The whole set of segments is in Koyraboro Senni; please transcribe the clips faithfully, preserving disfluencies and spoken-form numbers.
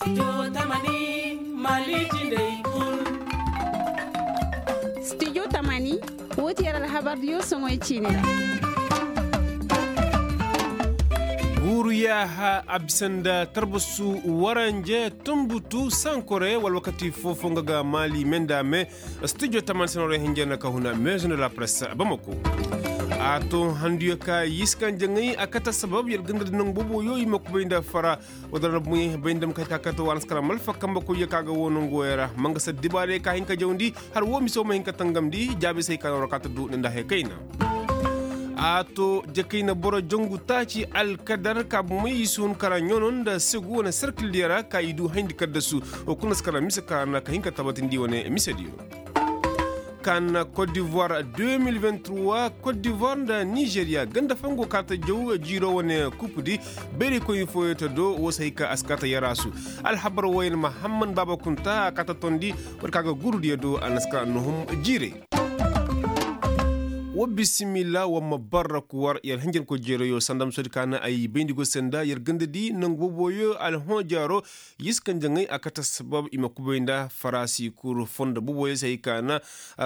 Studio tamani, woo ti yer alhabardiyo soŋoy ciini ra. Guuru yaaha a bisa nda tarbasu waranje tunbutu sankore wala wakati foofo nga ga maali me nda me. Studio taman senoorey hinja na ka huna maison de la presse bamako. A to handuyo ka yiska njaŋay a kate sabab yer ganda da nangu booboyo i ma kubay nda fara. Wala ra buŋey bay nda ma kay ka kate wa naskara malfa kambe koyyo ka ga woo nanguwey ra ma nga saddibaarey ka hin ka jawndi. Har woo mise woo ma hin ka tangamndi jaabi se hay ka na war kaata du nda hay kayna. A to jakayna boro jangu taaci alkadar ka bumey i si hun kara ɲono nda segu wane serkildiyo ra ka i du hayndi kaddasu. Wo kulu na si kara mise ka na ka hin ka tabatindi wane misediyo. Ka na kot divoir deux mille vingt-trois, kot divoir nda nizeriya ganda fongo kaata jaw jiiro wane kupudi. Bayraykoyni fooyo ta do woo si hay ka a si kaata yaraasu. Alhabar wooyaŋ mahamman baaba kunta a kaata tondi. War ka ga gurudiyo do a na si ka nuhum jiiray. Wa bisimilla wa ma barra kuwar yer hinjankoy jeerayo sanda ma soodi ka na ay bayndi go se nda yer ganda di nangu booboyo alhõ jaaro. Yiskanjaŋey a kate sabab i ma kubay nda faraasi kuru fondo booboyo se hay ka na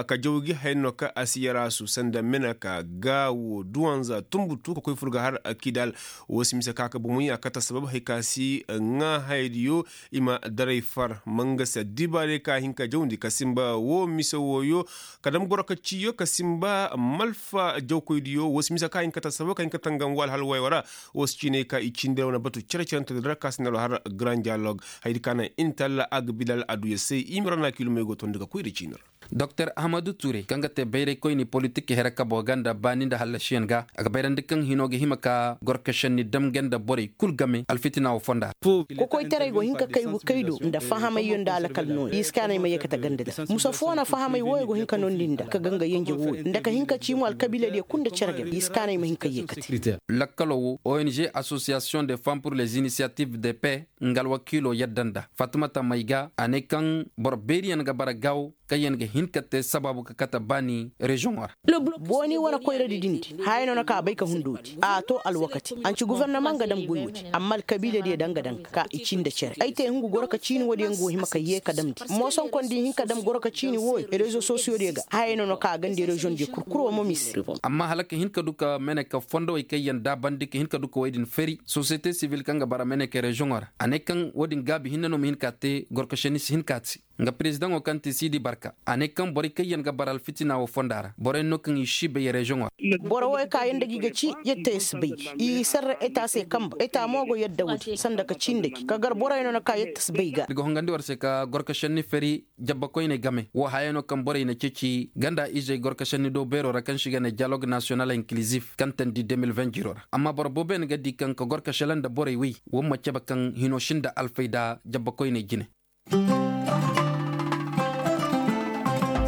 ka jaw gi haya no ka a si yaraasu sanda meneka gaawo duwanza tunbutu ka koy fur ga har kidal. Woo si mise ka ka bomoy a kate sabab hay ka si ŋaa hayadiyo. I ma daray far ma nga si addibaarey ka hin ka jawndi ka sinba woo mise wooyo. Ka dam goro ka ciyo ka sinba malfa jawkoydiyo woo si mise ka hin ka ta sabo ka hin ka tangam woo alhal woyo ra. Woo si ciinay ka i ciini da wane batu cere-cere nta da ra ka si nalo har grand dialogue. Hayadi ka naŋ inta allah a ga bilal aduya se i ma ra na kiilumey go tondi ga koy da ciini ra. Doktor ahmadu ture kaŋ ga te bayraykoyni politik here kabo ga nda baani nda hallasiyaŋ ga a ga bayrandi kaŋ hino ga hima ka gorka šenni dam ga nda borey kul game alfitina wo fonda ra. Kokoytaray go hin ka kay go kay do nda fahamayyo nda alakal nooya i si kaanay ma yeekate ganda da musa foo na fahamay wooyo go hin ka noondi nda ka ga nga yenje wooyo nda ka hin ka cii mo alkabiiladiyo kul nda cere game i si kaanay ma hin ka yeekate. Lakkalo wo ong association de femme pour les initiatives de paix nga alwakiilo yadda nda fatimata may ga a ne kaŋ boro beeriyaŋ ga bara gaawo kaŋyaŋ ga hin ka te sabaabu ka kate baani reziyoŋo ra. Booni wane koyradi dindi haya no na ka a bay ka hundoodi a to alwakati anci gofornama nga dam goy woodi amma alkabiiladiyo danga danga ka i cii nda cere ay te hungu goro ka ciini woodiyo nga wo hima ka yee ka damndi moosonkondi hin ka dam goro ka ciini wooyo rezo sosiyodiyo ga haya no na ka a gandi reziyoŋdiyo kurkuro mo mise. Amma hala ka hin ka du ka mene ka fondowey kaŋyaŋ daabandi ka hin ka du ka wey din fari sosiyete sibil kaŋ ga bara mene ka reziyoŋo ra a ne kaŋ woodin gaabi hinne no ma hin ka te goro ka senni si hin ka a te. Nga perezidaŋo kaŋ ti siidi barka a ne kaŋ borey kaŋ yaŋ ga bara alfitina wo fonda ra boroyaŋ no kaŋ i si bay reziyoŋo ra. Boro wo kaŋ yaŋ nda gi ga ci yette si bay gi i sarra eta se kamba eta mo go yadda woodi sanda ka ci nda gi ka gar boroyaŋ no na kaŋ yette si bay ga. Iri ga hongandi war se ka gorka senni fari jabba koyney game wo haya no kaŋ borey na ceeci ganda izey gorka senni do beero ra kaŋ se i ga ne dialogue nasiyonal inkilizif kaŋ tandi deux mille vingt jiro ra amma boro boobo yaŋ ga di kaŋ ka gorka sela nda borey wey wo ma cabe kaŋ hino sinda alfayda jabba koyney jine.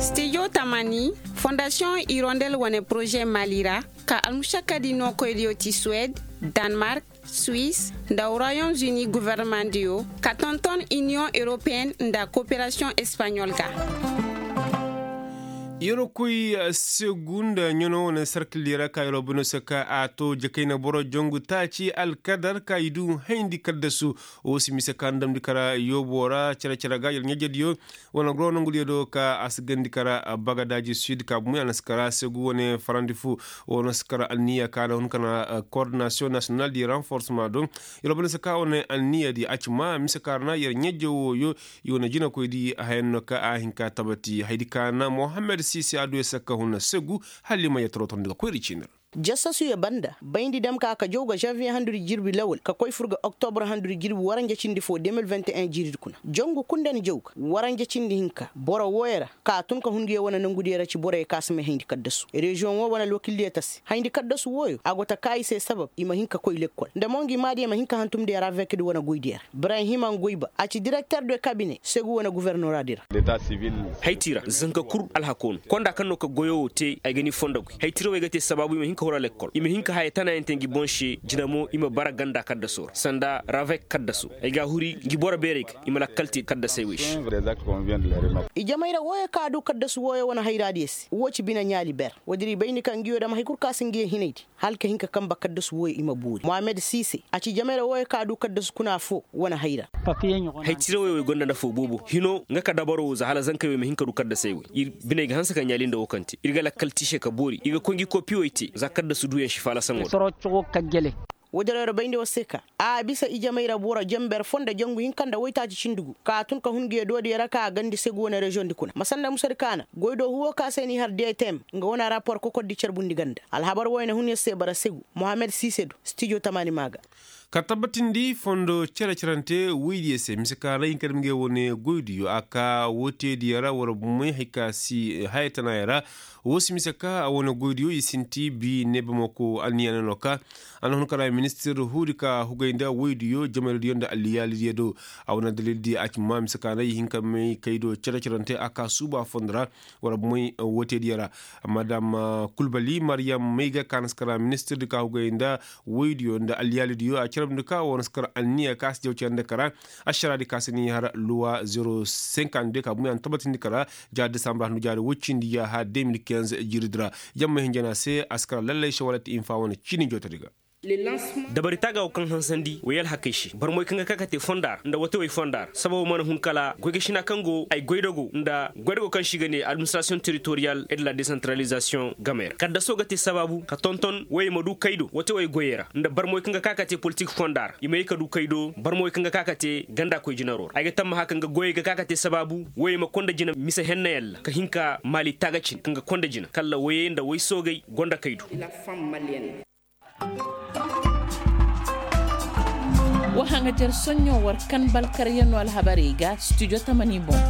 Stijo tamani fondasiyoŋ irondel wane poroze mali ra ka almušakkadi nookoydiyo ti suwed, danmark, suis, nda royaume uni gofornamadiyo ka tonton iniyoŋ europeyenne nda koperasiyoŋ espaɲol ga. Yeroo koy segu nda ɲano wane sarkildi ra ka yeroo bano se ka a to jakayna boro jongu taaci alkadar ka i du hayndi kaddasu. Wo si mise ka ndamndi kara yoobo ra cere-cere ga yer ɲajediyo wane goro nongudiyo do ka a si gandi kara bagadaaji sud ka bumey a na si kara segu wane farandi fu. Wo na si kara anniya ka na hun kana koordinasiyoŋ nasiyonal di ranforsema do. Yer wo banda se ka wane anniya di a ci ma mise ka ra na yer ɲaje wooyo. I wane jinakoydi hayan no ka a hin ka tabati haydi ka na mohammed sisi a du yer se ka hun segu. Hala i ma yer torotondi ga koyri ciini ra. Jasasuyo banda bayndi dam ka ka jaw ga zanviye handudi jirbi lawal ka koy fur ga oktobor handudi jirbi waranja cindi fo deux mille vingt et un jiiridi kuna jangu kul nda ni jaw ga waranja cindi hinka boro wooyo ra ka a tun ka hun nguyo wane nangudiyo ra ci boroyo ka si may hayndi kaddasu reziyoŋo wane alwakildiyo ta se hayndi kaddasu wooyo a go ta ka i se sabab i ma hin ka koy lekkol nda mo ngi maadiyo ma hin ka hantumndi aravekdi wane goydiyo ra. Ibrahima ngoyba a ci direkter de kabine segu wane gofornoradi ra. Haytira zanka kul alhako no konda kaŋ no ka goyo wo te ay ga ni fondo goy haytira wo ay ga te sabaabu i ma hin. Horo lekkol i ma hin ka haya tanayaŋ te ngi boŋ se jina mo i ma bara ganda kaddasoo ra sanda ravek kaddasu. Ay ga a huri ngi boro beerey ga i ma lakkal te kaddasey wey se. Ijamay ra wooyo kaŋ a du kaddasu wooyo wane hayraadiyo se woo ci bine ɲaali ber. Woodi ra i bayndi ka ngiyo dam hay kul kaŋ a si ngiyo hinaydi hala ka hin ka kanba kaddasu wooyo i ma boori mohammed siise a ci ijamay ra wooyo kaŋ a du kaddasu kuna foo wane hayra. Hay tirawey wey gonda nafoo boobo hino nga ka dabaro woo za hala zankey wey ma hin ka du kaddasey wey ir biney ga hanse ka ɲaali nda woo kaŋ te ir ga lakkal te i se ka boori ir ga koy ngi kopiwey te za kaddasu duuyaŋ si faalasaŋo da. Woodin ra bayndi war se ka a bisa ijamay ra boro jenber foo nda jangu hinka nda woytaaci cindi gu ka a tun ka hun ngiyo doodiyo ra ka a gandi segu wane reziyoŋdi kuna ma sanda musadi kaana goydoohu woo ka se n'i har detem nga wane rapor kokordi carbundi ganda alhabar wooyo na hun yer se bara segu mohammed siise do stijo tamaani maa ga. Ka tabbatindi fondo cere-cerante woydiyo se mise ka ra i hinka dam ngey wane goydiyo a ka woo teediyo ra war bumey hay ka si haya tanaayo ra. Woo si mise ka a wane goydiyo i sinti bi neebamako anniya no ka a na hun ka ra ministir huudi ka hugay nda woydiyo jamaydiyo nda alliyaalidiyo do. A wane dalildi a ci ma mise ka ra i hin ka may kaydo cere-cerante a ka suuba fondo ra war bumey woo teediyo ra. Madam kulbali mariyam may ga ka na si kara ministirdi ka hugay nda woydiyo nda alliyaalidiyo a carabndi ka war na si kara anniya ka si jaw cere nda kara. Ašaraadi ka si ni har luwa zero cinquante deux ka bumey a na tabbatindi kara jaari desambur handu jaari woy cindi yaaha deux mille quinze jiiridi ra. Yamma hinja no a se a si kara lallay se wala ti infa wane ciini jootodi ga. Dabari taaga woo kaŋ hansandi way alhakey se barmoy kaŋ ga ka ka te fonda ra nda watewey fonda ra sababo mana hun kala goygasina kaŋ go ay goydago nda goydago kaŋ se i ga ne administrasiyoŋ teritoriyal et de la desantaralizasiyoŋ game ra kaddaso ga te sabaabu ka tonton woyey ma du kaydo watewey goyey ra nda barmoy kaŋ ga ka ka te politik fonda ra i ma ye ka du kaydo barmoy kaŋ ga ka ka te ganda koy jinaro ra ay ga tammaha kaŋ ga goyey ga ka ka te sabaabu woyey ma konda jina mise hennayaŋ ra ka hin ka maali taagacin kaŋ ga konda jina kala woyey nda woy soogey gonda kaydo. Wa haŋajer soɲɲo war kan balkaryanoo alhabarey ga studio tamani boŋ.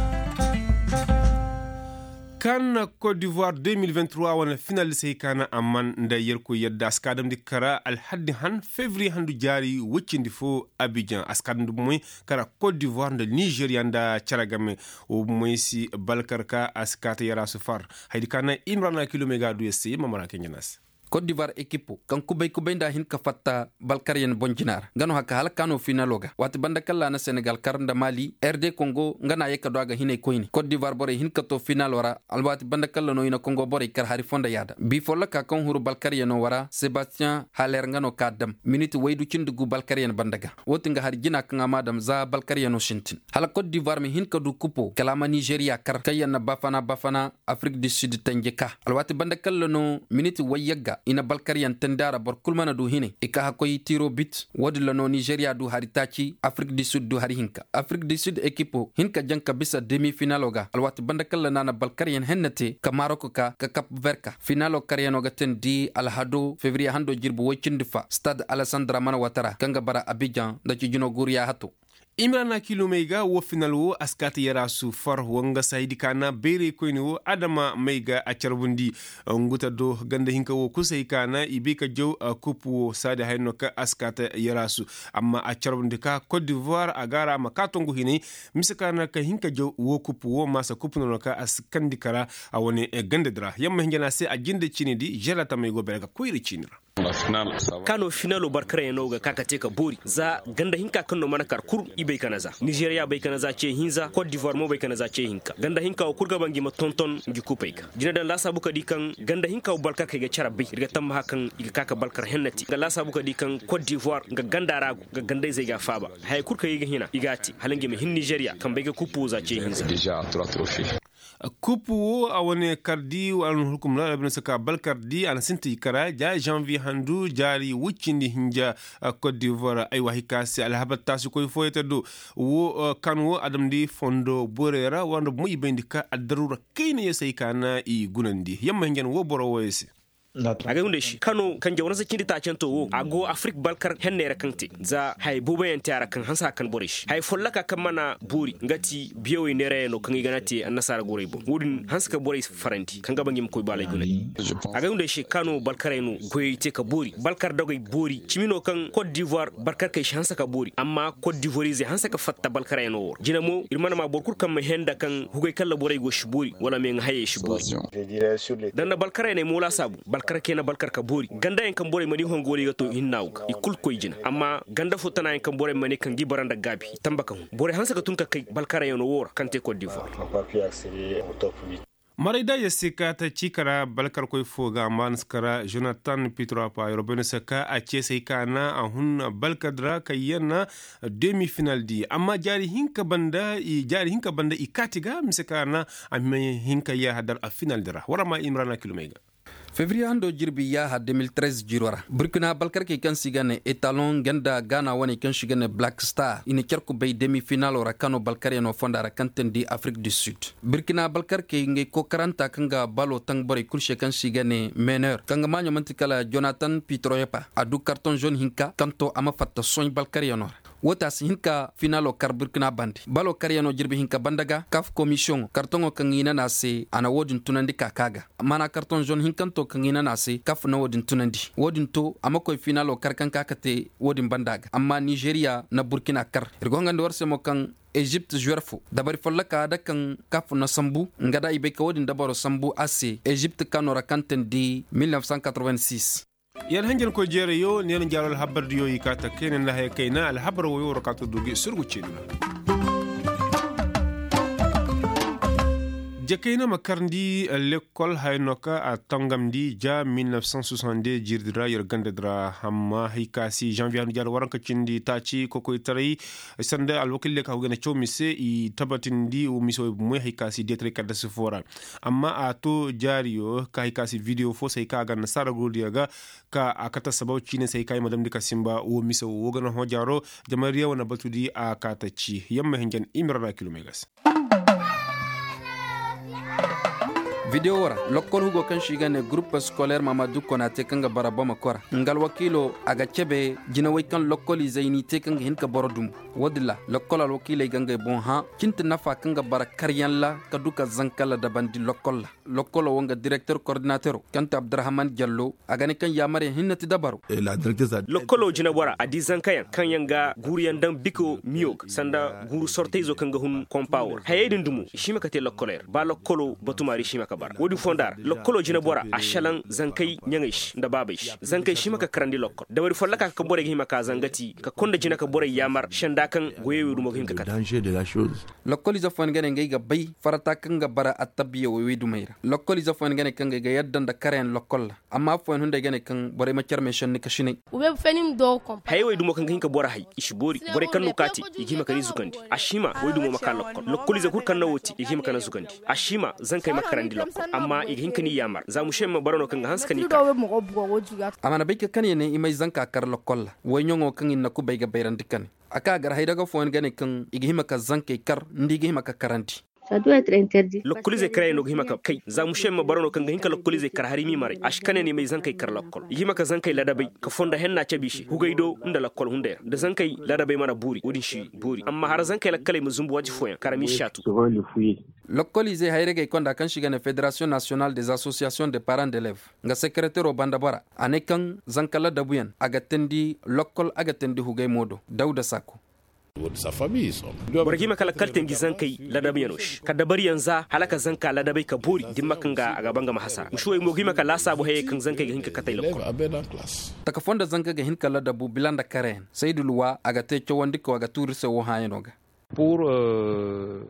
Kan kot divoir deux mille vingt trois wane finalisey ka na amman nda yerkoy yadda a si ka damndi kara alhaddi han fevriye handu jaari woy cindi fo abijan a si ka damndi bomey kara kot divoir nda nizeriya nda cere game. Wo bomey si balkar ka a si ka ta yarasu far. Haydi ka na imrana kilomey ga a du yer se yer ma mara kaŋ jana se. Kot divoir ekipo kaŋ kubay kubay nda a hin ka fatta balkaryan boŋ jina ra nga no haka hala kaano finalo ga waati banda kaŋ ra a na senegal kar nda mali r d kongo nga no a ye ka du a ga hinay koyne kot divoir borey hin ka to finalo ra alwaati banda kaŋ ra no i na kongo borey kar hari fo nda yaada bi folloka kaŋ huru balkaryano wara sebastiyan haler nga no ka dam miniti waydu cindi gu balkaryan banda ga. Wo ti nga hari jina kaŋ a ma dam za balkaryano sintin hala kot divoir ma hin ka du kupo kala a ma nizeriya kar kaŋ yaŋ na bafana bafana afrik du sud tanji ka alwaati banda kaŋ ra no miniti wayyagga i na balkaryaŋ tandi a ra boro kul mana du hinay i ka hakkoy tiro bit. Wo-din ra no nizeriya du hari taaci afrik du sud du hari hinka afrik du sud ekipo hin ka jaŋ ka bisa demi finalo ga alwaati banda kaŋ ra no a na balkaryaŋ henna te ka marok ka ka kap verka finalo karyano ga tandi alhado fevriye hando jirbi woy cindi fa stad alesandra mana watara kaŋ ga bara abijan nda cijino guuriya hato. Imrana kilomey ga wo final wo a si kaati yaraasu far wanga si haydi kaana bayray koyne wo adama may ga a carbundi. Nguta do ganda hinka wo kul si hay kaana i bay ka jaw kup wo saadi haya no kaŋ a si kaati yaraasu. Amma a carbundi ka kot divoir a ga a ra a ma kaa tongu hinay mise kaana ka hin ka jaw wo kup wo maasa kup no no kaŋ a si kandi kara. A wane ganda di ra yamma hinja no a se a jinde ciini di žera tamey go bere ga koyra ciini ra. Kaano finalo barkarayaŋo ga ka ka te ka boori za ganda hinka kaŋ no mana kar kul i bay ka na za nizeriya bay ka na za ce hinza kot divoir mo bay ka na za ce hinka ganda hinka wo kul ga ba ngi ma tonton ngi kupey ga jina daŋ laasaabu ka di kaŋ ganda hinka wo balkarkey ga care bay ir ga tammaha kaŋ i ga ka ka balkar hennati nga laasaabu ka di kaŋ kot divoir nga ganda ra go nga ganda-izey ga a faaba. Haya kul kaŋ i ga hina i ga a te hala ngi ma hin nizeriya kaŋ bay ga kupu wo za ce hinza. Kupu wo a wane kardi a na hukum ra albina saka balkardi a na sinti kara ja janvier handu jaari wuccindi hinja. Kot divoir aywa hika se alhabar taasi koy fooyata do wo kan wo adamdi fondo borey ra wanda bumo i bayndi ka addaruura kayna ya se ay ka na i gunandi yamma hinja no wo boro wooyo se. Agay hunday se kano kaŋ jawarnasa cindi taacanto wo a go afrik balkar henney ra kaŋ te za haya booboyaŋ te a ra kaŋ hanse a kan borey se haya folloka kaŋ mana boori nga ti biyawey neerayaŋo kaŋ i gana te annasaara gorey boŋ wo-din hanse ka borey farandi kaŋ ga ba ngi ma koy baalay gunay. Agay hunday se kano balkarey no goyey te ka boori balkar dogey boori cimi no kaŋ kot divoir balkarkey si hanse ka boori amma kot divorizey hanse ka fatta balkarey no wo ra jina mo ir mana ma boro kul kaŋ ma henda kaŋ hugay kaŋ ra borey go si boori wala meeŋa hayey si boori. Da nda balkarey ne mo laasaabu. Kar kay na balkar ka boori ganda yaŋ kaŋ borey mana i hongo wala i ga to hinna wo ga i kulu koy jina amma ganda fo tana yaŋ kaŋ borey mana i kaŋ ga i bara nda gaabi i tamba ka hun borey hanse ka tun ka kay balkar yaŋ no wo ra kaŋ te kot divoir. Maray da ya si ka ta ci kara balkarkoy fo ga amma ni si kara jonatan pitropa yorobeno se ka a ce se hay ka na a hun balkar dira kay yana demi final di amma jaari hinka banda i kaati ga mise ka na a ma hin ka ya hadar a final dira wara ma imrana kilomey ga. Fevriye hando jirbi yaaha deux mille treize jiro ra burkina balkarkey kaŋ se i ga ne etalon ganda gaana waney kaŋ se i ga ne black star i na care kubay demi finalo ra kano balkaryano fonda ra kaŋ teendi afrik du sud. Burkina balkarkey ngey kookaranta kaŋ ga balo taŋ borey kulu se kaŋ se i ga ne meneur kaŋ ga maaɲo man'ti kala jonatan pitroyepa a du karton zone hinka kaŋ to a ma fatta soɲ balkaryano ra. Wo te a si hin ka finalo kar burkina bande balo karyaŋo jirbi hinka banda ga kaf komisiyoŋo kartoŋo kaŋ i nana a se a na wo-din tunandi ka ka ga. Maana kartoŋ zone hinkanto kaŋ i nana a se kaf na wo-din tunandi. Wo-din to a ma koy finalo kar kaŋ ka ka te wo-din banda ga amma nizeriya na burkina kar. Ir go hangandi war se mo kaŋ ezipt zuwer fo dabari folloka da kaŋ kaf na sambu nga da i bay ka wo-din dabaro sambu a se ezipt kano ra kaŋ teendi mil neuf cent quatre-vingt-six. Yar hanjankoy jeerayo neera jaaro alhabardiyo i kaa ta kayna nda haya kayna alhabar woyo war kaa to du ga i surgu ceedi ra. Jakayna ma karndi lekkol haya no ka a tangamndi ja mil neuf cent soixante-deux jirdi ra yar ganda di ra amma hay ka si janvier handu jaaro waranka cindi taaci kokoytaray sanda alwakil leeka hagu ganda caw mise i tabatindi wo mise wo moy hay ka si deetaray kaddasi fo ra. Amma a to jaariyo ka hay ka si video fo se hay ka a ganda saara gurdiyo ga ka a kate assabab ciine se hay ka i ma damndi ka sinba wo mise wo ga na hõ jaaro. Jama riya wane batudi a kaate ci yamma hinjan i ma rana kilomey ga se. Video wo ra lokkol hugo kaŋ se i ga ne gurup scolaire mamadu konate kaŋ ga bara boma kora nga alwakiilo a ga cebe jinawey kaŋ lokkol izey n'i te kaŋ ga hin ka boro dumbu. Wo-din ra lokkol alwakiiley ga ngey boŋ hã cinti nafa kaŋ ga bara karyaŋ ra ka du ka zanka ladabandi lokkol ra. Lokkolo wo nga direkter kordinatero kaŋ ti abdurahman jallo a ga ne kaŋ yaamaryaŋ hinne ti dabaro. Lokkolo jinabora a di zankayaŋ kaŋ yaŋ ga guuruyaŋ daŋ biko miyo ga sanda guuru sortayzo kaŋ ga hun kompa wo ra hayey din dumo i si hima ka te lokkoley ra ba lokkolo batumaari si hima ka bara wo-din fonda ra lokkolo jinabora a šelaŋ zankey ɲaŋey se nda baabey se zankey si hima ka karandi lokkol dabari folloka kaŋ borey ga hima ka zangati ka konda jina ka borey yaamar senda kaŋ goyey wey dumo ga hin ka kate. Lokkol ize fooyaŋ ga ne ngey ga bay farata kaŋ ga bara attabiya wey wey dumey ra lokkol ize fooyaŋ ga ne kaŋ ngey ga yadda nda karayaŋ lokkol ra. Amma afooyaŋ hunday ga ne kaŋ borey ma care meesenni kasinay. Hayey wey dumo kaŋ ga hin ka boro hay i si boori borey kaŋ no ka te i ga hima ka ni zugandi a si hima wey dumo ma ka lokkol lokkol ize kul kaŋ na wo te i ga hima ka na zugandi a si hima zankey ma karandi lokkol amma i ga hin ka ni yaamar za mušey ma bara no kaŋ ga hanse ka ni kar. A mana bay ka kane ne i may zanka kar lokkol ra wayɲaŋo kaŋ i na kubay ga bayrandi kane. A ka gar haydaga fooyaŋ ga ne kaŋ i ga hima ka zankey kar nda i ga hima ka karandi. Lokkolizey karayaŋ no ga hima ka kay za mušey ma bara no kaŋ ga hin ka lokkolizey kar hari m'i maray a si kane ne i may zankey kar lokkol i ga hima ka zankey ladabay ka fondo henna cabe i se hugay do nda lokkol hunday ra da zankey ladabay mana boori wo-din si boori amma hara zankey lakkaley ma zumbu waati fooyaŋ kara m'i saatu. Lokkolizey hayragey konda kaŋ se i ga ne federasiyoŋ nasiyonal des asosiyasiyoŋ de paran d'elev nga sekeretero banda bora a ne kaŋ zanka ladabuyaŋ a ga teendi lokkol a ga teendi hugay mo do dawda sako. Boro ga hima ka lakkal te ngi zankey ladabuyaŋo se ka dabariyaŋ za hala ka zanka ladabay ka boori dimma kaŋ ga a ga ba nga ma hasara mušuwey mo ga hima ka laasaabu hayey kaŋ zankey ga hin ka katey lokkol. Taka foo nda zanka ga hin ka ladabu bila nda karayaŋ saydu luwa a ga te cawandi kaw a ga tuuri se woo hãayano ga.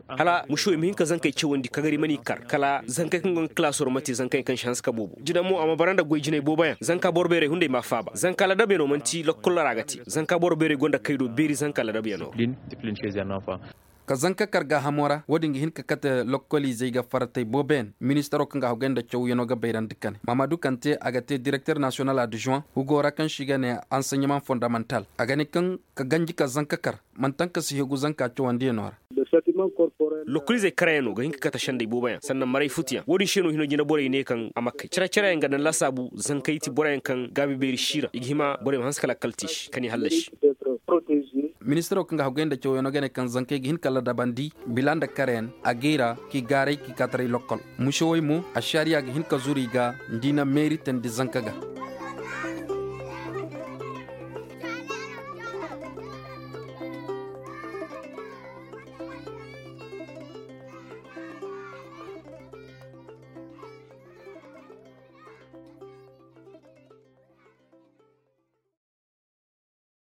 Hala mušuwey ma hin ka zankey cawandi kagari mana i kar kala zankey kaŋ go nga kalaasoo ra ma te zankey kaŋ si hanse ka boobo jina mo a ma bara nda goy jinay booboyaŋ zanka boro beerey hunday m'a faaba zanka ladabyaŋo man'ti lokkol ra a ga te zanka boro beerey go nda kay do beeri zanka ladabyaŋo ra. Ka zanka kar gaahamo ra wo-din ga hin ka kate lokkoliizey ga faratey booboyaŋ ministaro kaŋ ga haggoy nda cawyaŋo ga bayrandi kane maamadu kante a ga te direkter nasiyonal adjuwan hugo ra kaŋ se i ga ne anseɲemaŋ fondamantal a ga ne kaŋ ka ganji ka zanka kar man'taŋ ka si hegu zanka cawandiyaŋo ra. Lokoliizey karayaŋo ga hin ka kate sendey booboyaŋ sannan maray futuyaŋ wo-din se no hino jina borey ne kaŋ a ma kay care-careyaŋ ga daŋ laasaabu zankey ti boroyaŋ kaŋ gaabi beeri si ra i ga hima borey ma hanse ka lakkal te i se ka ni hallasi. Ministiro kaŋ ga haggoy nda cawyaŋo ga ne kaŋ zankey ga hin ka ladabandi bila nda karayaŋ a gay ra k'i gaaray k'i kaataray lokkol. Mušewey mo ašariya ga hin ka zuru i ga nda i na meeri teendi zanka ga.